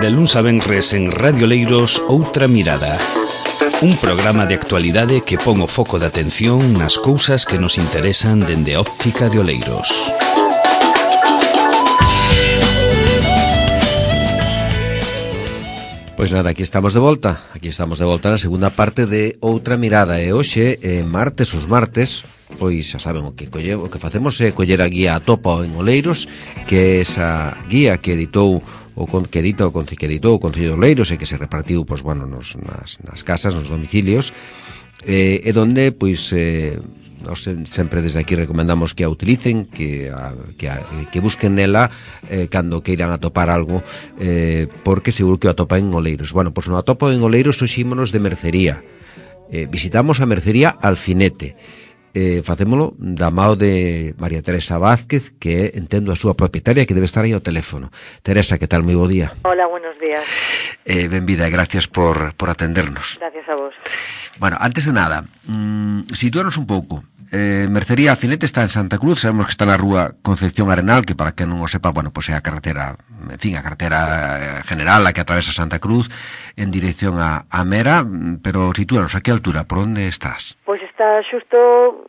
De luns a venres en Radio Oleiros, Outra Mirada. Un programa de actualidade que pon o foco de atención nas cousas que nos interesan dende a óptica de Oleiros. Pois nada, aquí estamos de volta na segunda parte de Outra Mirada. E hoxe, os martes, pois xa saben o que facemos é coller a guía Atopa en Oleiros, que é esa guía que editou o Concello de Oleiros e que se repartiu, pois, bueno, nas casas, nos domicilios, e donde, pois, nós sempre desde aquí recomendamos que a utilicen, que busquen nela cando queiran atopar algo, porque seguro que o atopan en Oleiros. Bueno, pois no atopo en Oleiros hoxímonos de mercería. Visitamos a mercería Alfinete. Facémolo da mao de María Teresa Vázquez, que entendo a súa propietaria, que debe estar aí ao teléfono. Teresa, que tal? Moi bo día. Hola, buenos días. Benvida e gracias por atendernos. Gracias a vos. Bueno, antes de nada, sitúanos un pouco. Mercería Alfinete está en Santa Cruz, sabemos que está na rúa Concepción Arenal, que para que non o sepa, bueno, pois é a carretera, en fin, a carretera general a que atravesa Santa Cruz en dirección a Mera, pero sitúanos, a que altura, por onde estás? Pois está xusto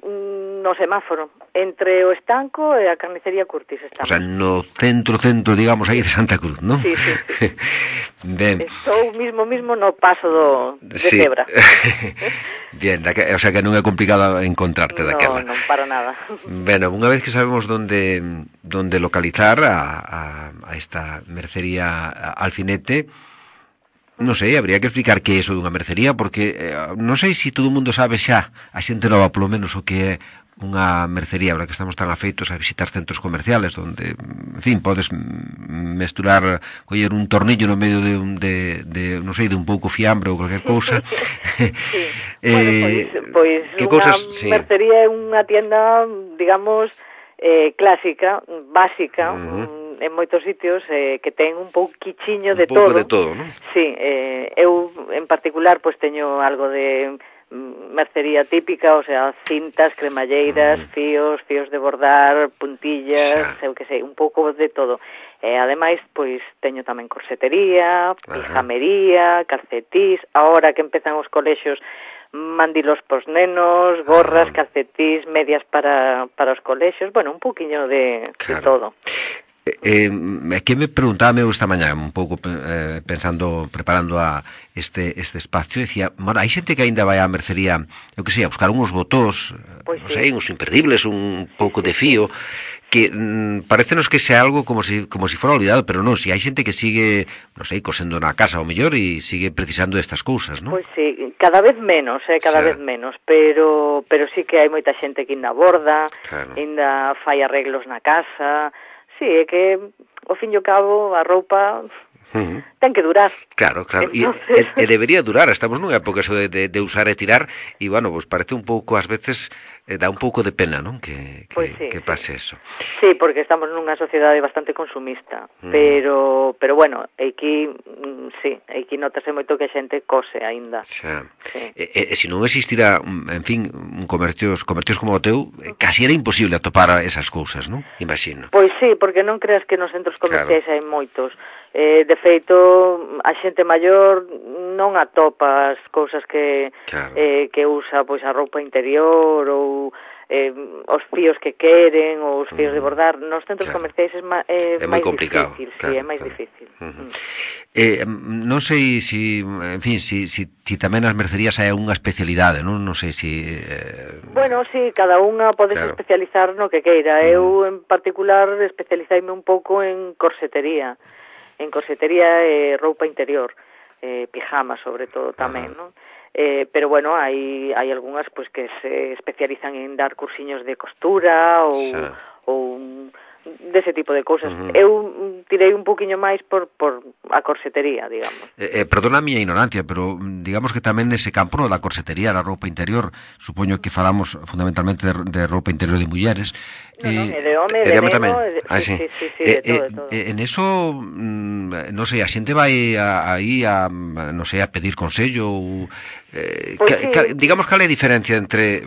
no semáforo, entre o estanco e a carnicería Curtis estamos. O sea, no centro, digamos, aí de Santa Cruz, non? Sí. Ben. Estou mismo no paso de Cebra. Bien, o sea que non é complicado encontrarte daquela. Non, para nada. Bueno, unha vez que sabemos onde localizar a esta mercería Alfinete, non sei, habría que explicar que é iso dunha mercería, porque non sei se todo o mundo sabe xa, a xente nova polo menos, o que é unha mercería, ahora que estamos tan afeitos a visitar centros comerciales donde, en fin, podes mesturar, coller un tornillo no medio de non sei, de un pouco fiambre ou qualquer cousa. Sí. Bueno, pois unha mercería é unha tienda, digamos, clásica, básica, en moitos sitios, que ten un pouquichiño de todo. Un pouco de todo, non? Sí, eu en particular pois teño algo de mercería típica, o sea, cintas, cremalleiras, fíos de bordar, puntillas, eu que sei, un pouco de todo. Ademais, pois teño tamén corsetería, pijamería, calcetís, ahora que empezan os colexios, mandilos pos nenos, gorras, calcetís, medias para os colexios, bueno, un pouquiño de todo. Que me preguntaba eu esta mañá un pouco preparando este espacio, decía, bueno, hai xente que aínda vai á mercería, eu que sei, a buscar uns botós, pues non sei, uns imperdibles, un pouco de fío, que parecenos que sea algo como si fora olvidado, pero non, si hai xente que sigue, non sei, cosendo na casa ao mellor e sigue precisando destas cousas, non? Pois sí, cada vez menos, vez menos, pero sí que hai moita xente que ainda borda, ainda fai arreglos na casa. Sí, é que, ao fin e ao cabo, a roupa ten que durar. Claro. Entonces... E debería durar. Estamos nunha época eso de usar e tirar, e, bueno, pues parece un pouco, ás veces, dá un pouco de pena, non? Que pase eso. Sí, porque estamos nunha sociedade bastante consumista, pero bueno, aquí notase moito que a xente cose aínda. Xa. Sí. Se non existira, en fin, comercios como o teu, casi era imposible atopar esas cousas, non? Imagino. Pois sí, porque non creas que nos centros comerciais hai moitos. De feito, a xente maior non atopa as cousas que usa, pois a roupa interior ou os fíos que queren ou os fíos de bordar. Nos centros comerciais é máis complicado, difícil, sí, é máis difícil. Non sei se, en fin, si tamén nas mercerías hai unha especialidade, non sei se... Bueno, sí, cada unha pode especializar no que queira. Eu, en particular, especializaime un pouco en corsetería. En corsetería e roupa interior, pijama sobre todo tamén, non? Pero bueno, hai algunhas pois que se especializan en dar cursiños de costura ou dese tipo de cousas. Eu tirei un poquinho máis por a corsetería, digamos. Perdona a miña ignorancia, pero digamos que tamén nese campo da corsetería, da roupa interior, supoño que falamos fundamentalmente de roupa interior de mulleres. De home, de neno, tamén. Sí, de todo. En eso, non sei, a xente vai aí non sei, a pedir consello ou... digamos, cal é a diferencia entre...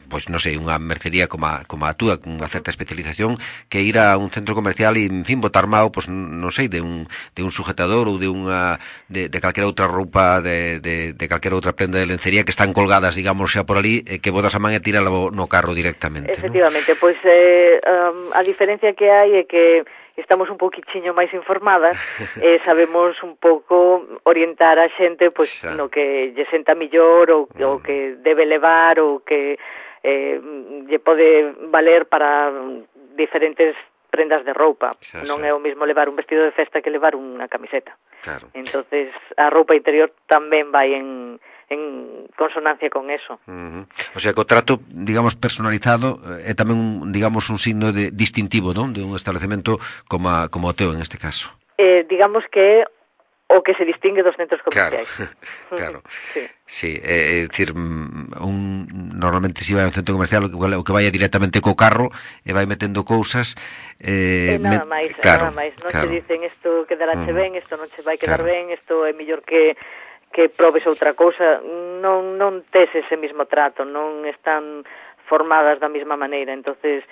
pois non sei, unha mercería como a túa, con unha certa especialización, que ir a un centro comercial e, en fin, botar mao, pois non sei, de un sujetador ou de calquera outra roupa, de calquera outra prenda de lencería que están colgadas, digamos, xa por ali, que botas a man e tírala no carro directamente. Efectivamente, ¿no? Pois a diferencia que hai é que estamos un poquichiño máis informadas e sabemos un pouco orientar a xente pois no que lle senta millor ou que debe levar ou que lle pode valer para diferentes prendas de roupa. Non é o mesmo levar un vestido de festa que levar unha camiseta. Claro. Entonces a roupa interior tamén vai en consonancia con eso. O sea, que o trato, digamos, personalizado é tamén, digamos, un signo distintivo, non? De un establecemento como o teu, en este caso. Digamos que o que se distingue dos centros comerciais. Claro. Sí, é dicir, normalmente se vai a un centro comercial o que vai directamente co carro e vai metendo cousas nada máis, non te dicen isto quedará ben, isto non che vai quedar ben, isto é mellor que probes outra cousa, non tes ese mismo trato, non están formadas da mesma maneira. Entonces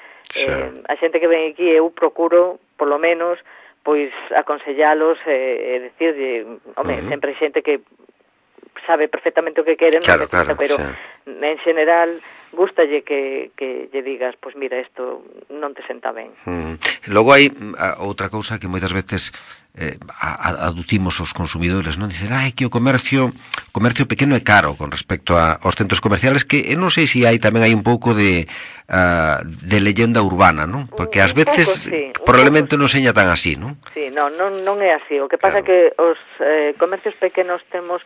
a xente que ven aquí, eu procuro, polo menos, pois aconsellalos e decirlle, sempre hai xente que sabe perfectamente o que queren, claro, pero en general gústalle que lle digas, pois mira, isto non te senta ben. Logo hai outra cousa que moitas veces aducimos os consumidores, non? Dicen, que o comercio pequeno é caro con respecto aos centros comerciales, que non sei se hai tamén hai un pouco de leyenda urbana, non? Porque ás veces probablemente non seña tan así, non? Sí, non é así. O que pasa é que os comercios pequenos temos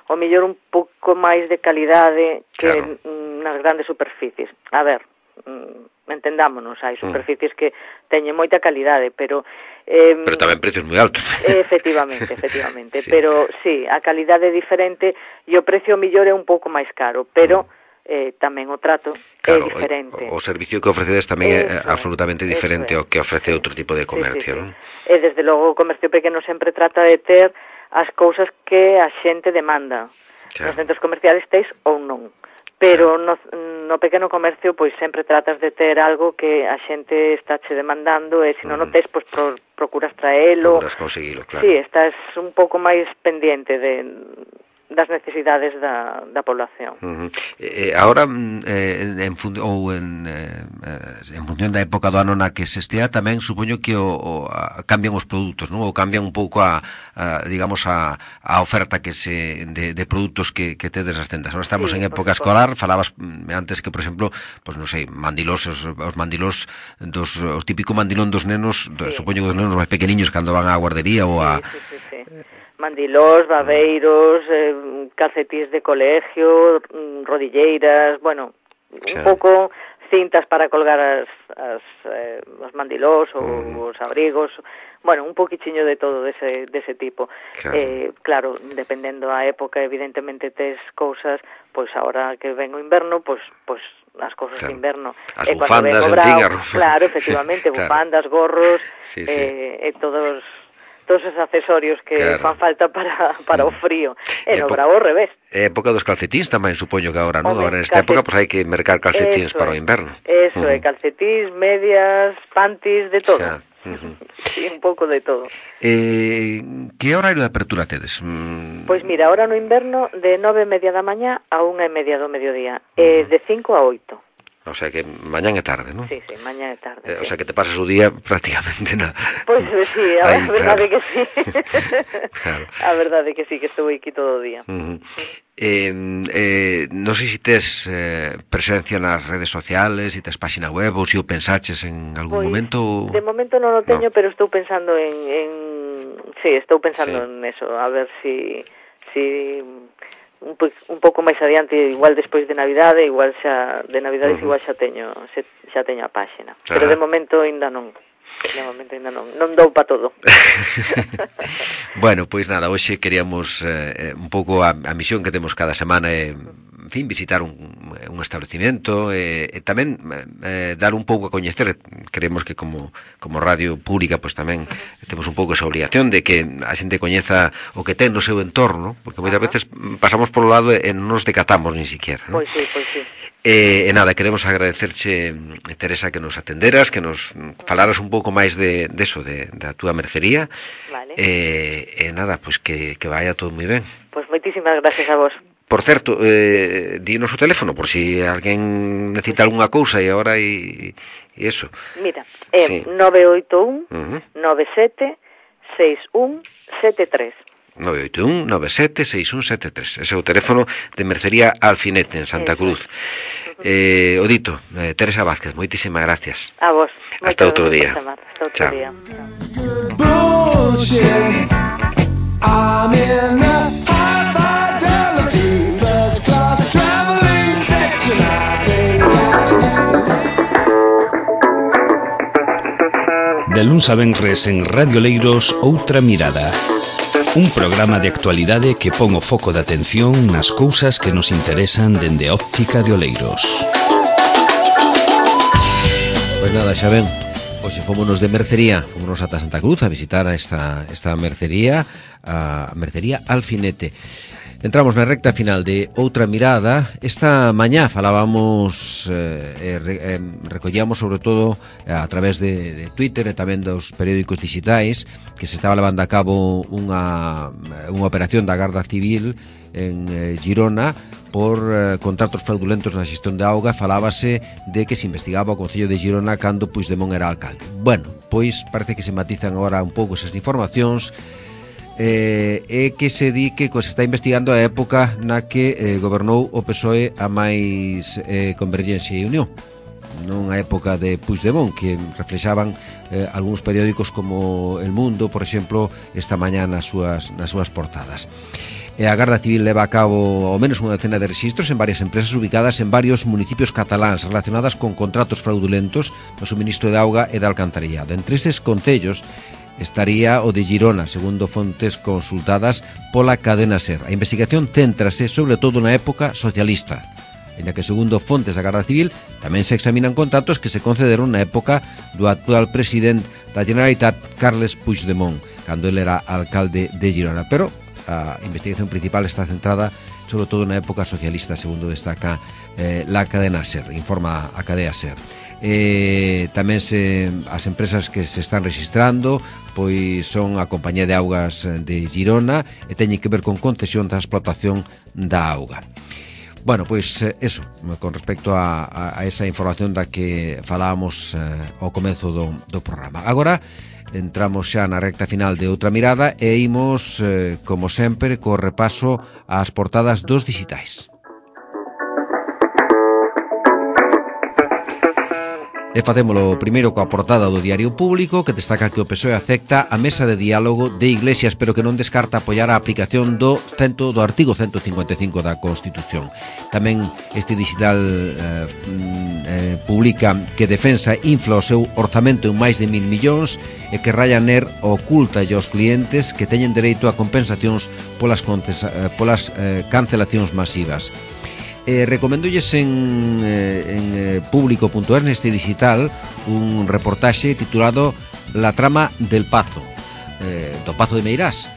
o mellor un pouco máis de calidade que nas grandes superficies. A ver, entendámonos, hai superficies que teñen moita calidade, pero tamén precios moi altos. Efectivamente, sí. Pero sí, a calidade é diferente e o precio mellor é un pouco máis caro, pero tamén o trato é diferente. O servicio que ofrecedes tamén é absolutamente diferente ao que ofrece outro tipo de comercio, non? E desde logo o comercio pequeno sempre trata de ter as cousas que a xente demanda. Nos centros comerciales tes ou non. Pero no pequeno comercio pois sempre tratas de ter algo que a xente está che demandando e se non o tes, pois procuras traelo. Procuras conseguilo, claro. Sí, estás un pouco máis pendiente das necesidades da población. Ahora, en función da época do ano na que se estea, tamén supoño que cambian os produtos, non? Ou cambian un pouco digamos, a oferta de produtos que tedes nas tendas. Ahora estamos en época escolar, falabas antes que, por exemplo, pois non sei, mandilós, os mandilós o típico mandilón dos nenos, supoño que dos nenos máis pequeniños cando van á guardería ou a... Sí. Mandilós, babeiros, calcetís de colegio, rodilleiras, bueno, un pouco cintas para colgar os mandilós ou os abrigos, bueno, un poquichiño de todo dese tipo. Claro, dependendo a época, evidentemente tes cousas, pois agora que ven o inverno, pois as cousas de inverno. As bufandas, en fin, claro, efectivamente, bufandas, gorros, e todos esos accesorios que fan falta para o frío. E no bravo ao revés. É época dos calcetíns tamén, supoño que agora, non? Agora nesta época hai que mercar calcetíns para o inverno. Eso, calcetíns, medias, panties, de todo. Sí, un pouco de todo. Que horario de apertura tedes? Pois mira, ahora no inverno de 9:30 da mañá a 1:30 do mediodía, de 5 a 8. O sea que mañán é tarde, non? Sí, mañán é tarde. O sea que te pasas o día prácticamente na... Pois sí, a verdade que sí. A verdade que sí, que estou aquí todo o día. Non sei se tes presencia nas redes sociales, se tes página web ou se o pensaches en algún momento. De momento non o teño, pero estou pensando estou pensando en eso, a ver si un pouco máis adiante, igual despois de Navidade, igual xa de Navidades igual xa teño a páxina. Pero de momento ainda non. Non dou pa todo. Bueno, pois nada, hoxe queríamos un pouco a misión que temos cada semana en fin, visitar un establecimento e tamén dar un pouco a coñecer. Queremos que como radio pública pois tamén temos un pouco esa obrigación de que a xente coñeza o que ten no seu entorno, porque moitas veces pasamos polo lado e non nos decatamos ni siquiera, non? Pois sí. E nada, queremos agradecerche, Teresa, que nos atenderas, que nos falaras un pouco máis de eso, da túa mercería. Vale. E nada, pois que vaya todo moi ben. Pois moitísimas gracias a vos. Por certo, dinos o teléfono, por si alguén necesita algunha cousa e agora e eso. Mira, é 981 97 6173. 981-97-6173. Ese é o teléfono de Mercería Alfinete en Santa Cruz. O dito, Teresa Vázquez, moitísimas gracias. A vos. Hasta outro día. Hasta outro Chao. día. De luns a venres en Radio Leiros, Outra Mirada. Un programa de actualidade que pon o foco de atención nas cousas que nos interesan dende a óptica de Oleiros. Pois nada, xa ven, hoxe fomos de mercería, fomos ata Santa Cruz a visitar esta mercería, a Mercería Alfinete. Entramos na recta final de Outra Mirada. Esta mañá falábamos, recollíamos sobre todo a través de Twitter e tamén dos periódicos digitais que se estaba levando a cabo unha operación da Garda Civil en Girona por contratos fraudulentos na xestión de auga. Falábase de que se investigaba o Concello de Girona cando Puigdemont era alcalde. Bueno, pois parece que se matizan agora un pouco esas informacións. É que se di que se está investigando a época na que gobernou o PSOE a máis Convergencia e Unión, non a época de Puigdemont, que reflexaban algúns periódicos como El Mundo, por exemplo, esta mañá nas súas portadas. A Garda Civil leva a cabo ao menos unha decena de registros en varias empresas ubicadas en varios municipios cataláns relacionadas con contratos fraudulentos no suministro de auga e de alcantarillado. Entre eses concellos estaría o de Girona, segundo fontes consultadas pola cadena SER. A investigación céntrase sobre todo na época socialista, en que segundo fontes da Garda Civil tamén se examinan contratos que se concederon na época do actual presidente da Generalitat, Carles Puigdemont, cando ele era alcalde de Girona. Pero a investigación principal está centrada sobre todo na época socialista, segundo destaca la cadena SER, informa a cadea SER. Tamén as empresas que se están registrando pois son a Compañía de Augas de Girona e teñen que ver con concesión da explotación da auga. Bueno, pois eso, con respecto a esa información da que falábamos ao comezo do programa. Agora entramos xa na recta final de Outra Mirada e imos, como sempre, co repaso ás portadas dos digitais. E facémolo primeiro coa portada do Diario Público, que destaca que o PSOE acepta a mesa de diálogo de Iglesias, pero que non descarta apoiar a aplicación do artigo 155 da Constitución. Tamén este digital publica que Defensa infla o seu orzamento en máis de 1.000 millóns e que Ryanair oculta aos clientes que teñen dereito a compensacións polas cancelacións masivas. Recomendolles en público.es, neste digital, un reportaxe titulado La trama del Pazo, do Pazo de Meirás.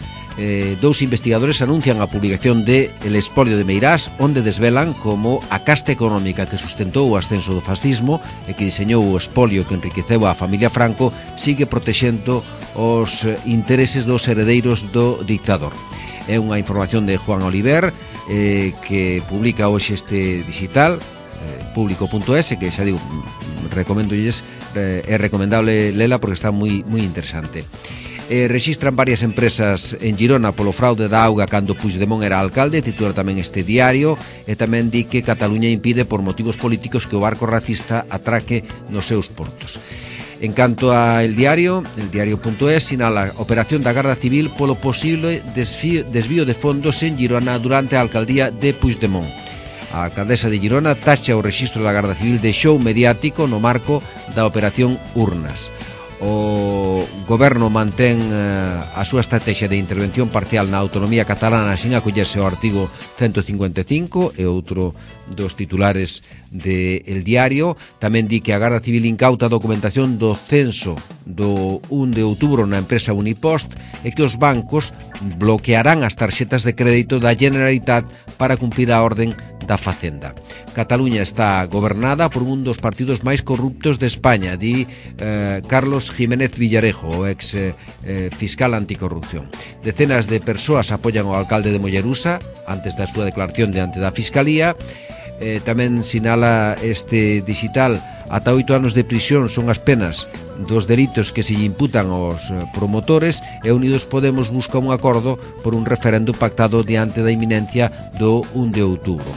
Dous investigadores anuncian a publicación de El espolio de Meirás, onde desvelan como a casta económica que sustentou o ascenso do fascismo e que diseñou o espolio que enriqueceu a familia Franco sigue protexendo os intereses dos heredeiros do dictador. É unha información de Juan Oliver, que publica hoxe este digital, público.es, que xa digo, recomendolles, é recomendable lela porque está moi interesante. Rexistran varias empresas en Girona polo fraude da auga cando Puigdemont era alcalde, titula tamén este diario, e tamén di que Cataluña impide por motivos políticos que o barco racista atraque nos seus portos. En canto a el diario.es sinala operación da Garda Civil polo posible desvío de fondos en Girona durante a alcaldía de Puigdemont. A alcaldesa de Girona tacha o rexistro da Garda Civil de show mediático no marco da operación Urnas. O goberno mantén a súa estrategia de intervención parcial na autonomía catalana sin acollerse ao artigo 155 e outro dos titulares de El Diario. Tamén di que a Garda Civil incauta a documentación do censo do 1 de outubro na empresa Unipost é que os bancos bloquearán as tarxetas de crédito da Generalitat para cumplir a orden da Facenda. Cataluña está gobernada por un dos partidos máis corruptos de España, di Carlos Jiménez Villarejo, o ex fiscal anticorrupción. Decenas de persoas apoian ao alcalde de Mollerusa antes da súa declaración diante da Fiscalía. Tamén sinala este digital, ata 8 anos de prisión son as penas dos delitos que se lle imputan aos promotores, e Unidos Podemos busca un acordo por un referendo pactado diante da inminencia do 1 de outubro.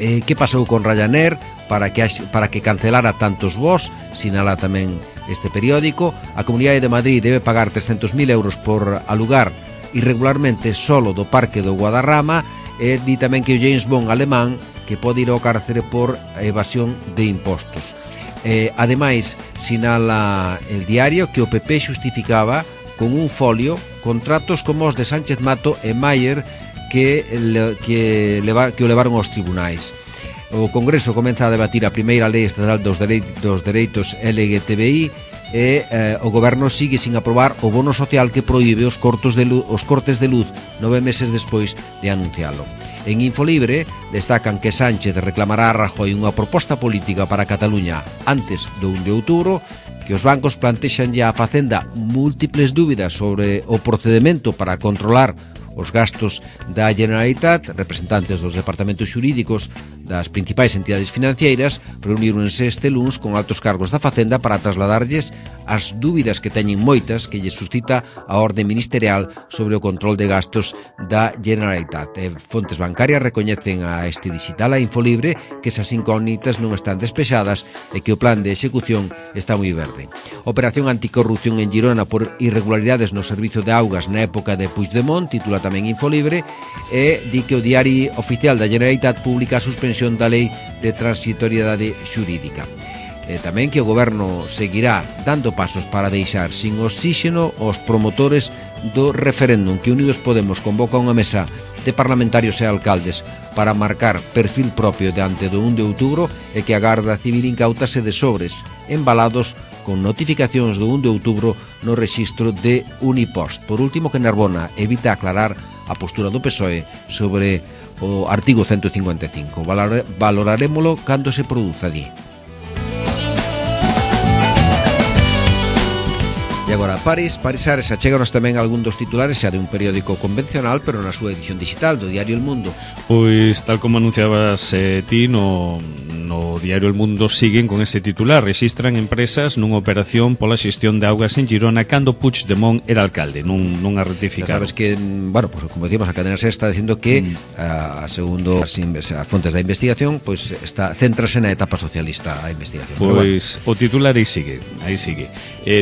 Que pasou con Ryanair para que cancelara tantos voos? Sinala tamén este periódico. A Comunidade de Madrid debe pagar 300.000 euros por alugar irregularmente solo do Parque do Guadarrama, e di tamén que o James Bond alemán que pode ir ao cárcere por evasión de impostos. Ademais, sinala el diario que o PP xustificaba con un folio contratos como os de Sánchez Mato e Mayer que o levaron aos tribunais. O Congreso comeza a debatir a primeira lei estatal dos dereitos LGTBI e o Goberno sigue sin aprobar o bono social que proíbe os cortes de luz 9 meses despois de anuncialo. En Infolibre destacan que Sánchez reclamará a Rajoy unha proposta política para Cataluña antes do 1 de outubro, que os bancos plantexan ya a Facenda múltiples dúbidas sobre o procedimento para controlar os gastos da Generalitat. Representantes dos departamentos xurídicos das principais entidades financeiras reuníronse este luns con altos cargos da Facenda para trasladarlles as dúbidas que teñen moitas que lles suscita a orde ministerial sobre o control de gastos da Generalitat. Fontes bancarias recoñecen a este digital, a Infolibre, que esas incógnitas non están despexadas e que o plan de execución está moi verde. Operación anticorrupción en Girona por irregularidades no servizo de augas na época de Puigdemont, titula tamén Infolibre, e di que o Diario Oficial da Generalitat publica a suspensión da lei de transitoriedade xurídica. Tamén que o Goberno seguirá dando pasos para deixar sin oxíxeno os promotores do referéndum, que Unidos Podemos convoca unha mesa de parlamentarios e alcaldes para marcar perfil propio diante do 1 de outubro, e que a Garda Civil incautase de sobres embalados con notificacións do 1 de outubro no rexistro de Unipost. Por último, que Narbona evita aclarar a postura do PSOE sobre o artigo 155. Valorarémolo cando se produza allí. E agora Paris Ares, achéganos tamén algún dos titulares xa de un periódico convencional, pero na súa edición digital do diario El Mundo. Pois tal como anunciabas ti no diario El Mundo, siguen con ese titular: rexistran empresas nunha operación pola xestión de augas en Girona cando Puigdemont era alcalde. Non a ratificaron. Sabes que, bueno, pues, como decíamos, a cadena SER está dicindo que segundo as fontes da investigación, pues céntrase na etapa socialista a investigación. Pois bueno, o titular aí sigue.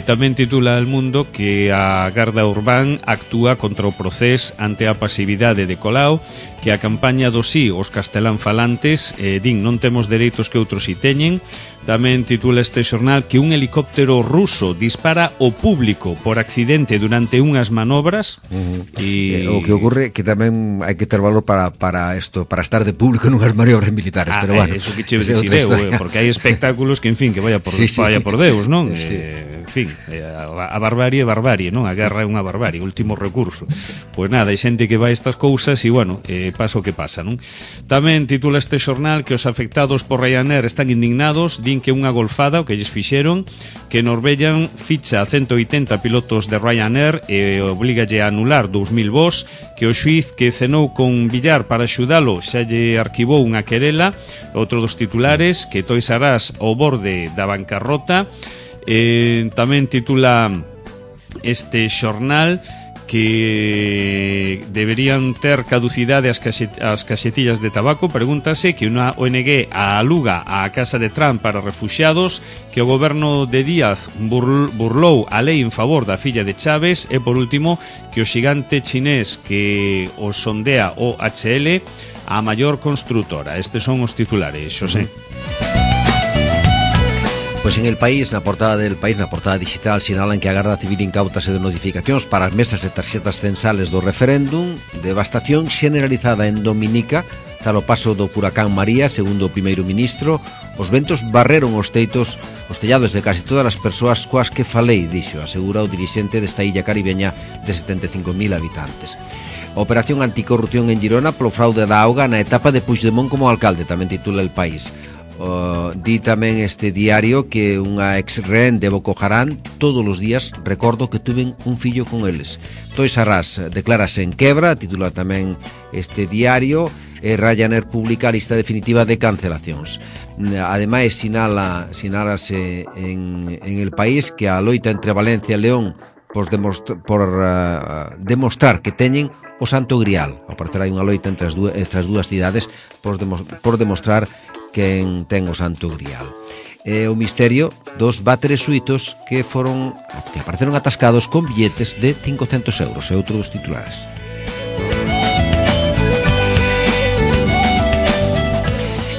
Tamén titula El Mundo que a Garda Urbán actúa contra o procés ante a pasividade de Colau, que a campaña do sí os castelán falantes din non temos dereitos que outros si teñen. Tamén titula este xornal que un helicóptero ruso dispara ao público por accidente durante unhas manobras. O que ocorre que tamén hai que ter valor para estar de público en unhas maniobras militares, pero bueno, eso que che dicir eu, porque hai espectáculos que, en fin, que vaya por Deus, non? En fin, a barbarie, non? A guerra é unha barbarie, último recurso. Pois nada, hai xente que vai a estas cousas e, bueno, pasa o que pasa, non? Tamén titula este xornal que os afectados por Ryanair están indignados, din que unha golfada o que lles fixeron, que Norwegian ficha a 180 pilotos de Ryanair e obligalle a anular 2.000 voos, que o xuiz que cenou con Villar para axudalo xa lle arquivou unha querela. Outro dos titulares, que Toys R Us ao borde da bancarrota. Tamén titula este xornal que deberían ter caducidade as caxetillas de tabaco. Pregúntase que unha ONG aluga a casa de Trump para refuxiados, que o goberno de Díaz burlou a lei en favor da filla de Chávez, e por último que o xigante chinés que o sondea OHL a maior construtora. Estes son os titulares, Xosé. Pois en El País, na portada del País, na portada digital, sinalan que a Garda Civil incautase de notificacións para as mesas de tarxetas censales do referéndum, devastación generalizada en Dominica, tal o paso do furacán María, segundo o primeiro ministro. Os ventos barreron os tellados de casi todas as persoas coas que falei, dixo, asegura o dirixente desta illa caribeña de 75.000 habitantes. A operación anticorrupción en Girona polo fraude da auga na etapa de Puigdemont como alcalde, tamén titula El País. Di tamén este diario que unha ex-rehén de Boko Haram todos os días recordo que tuven un fillo con eles. Toys R Us declárase en quebra, titula tamén este diario, e Ryanair publica a lista definitiva de cancelacións. Ademais, sinálase en El País que a loita entre Valencia e León por demostrar que teñen o Santo Grial. Ao parecer hai unha loita entre estas dúas cidades por demostrar quen ten o Santo Grial. O misterio dos váteres suitos que apareceron atascados con billetes de 500 euros, é outro dos titulares.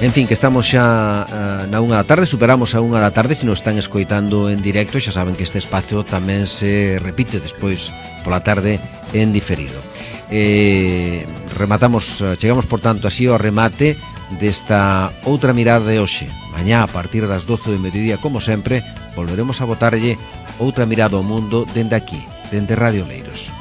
En fin, que estamos xa na 1 da tarde, superamos a 1 da tarde, se nos están escoitando en directo, xa saben que este espacio tamén se repite despois pola tarde en diferido. Chegamos por tanto así ao remate desta outra mirada de hoxe. Mañá a partir das 12 do mediodía, como sempre, volveremos a botarlle outra mirada ao mundo dende aquí, dende Radio Oleiros.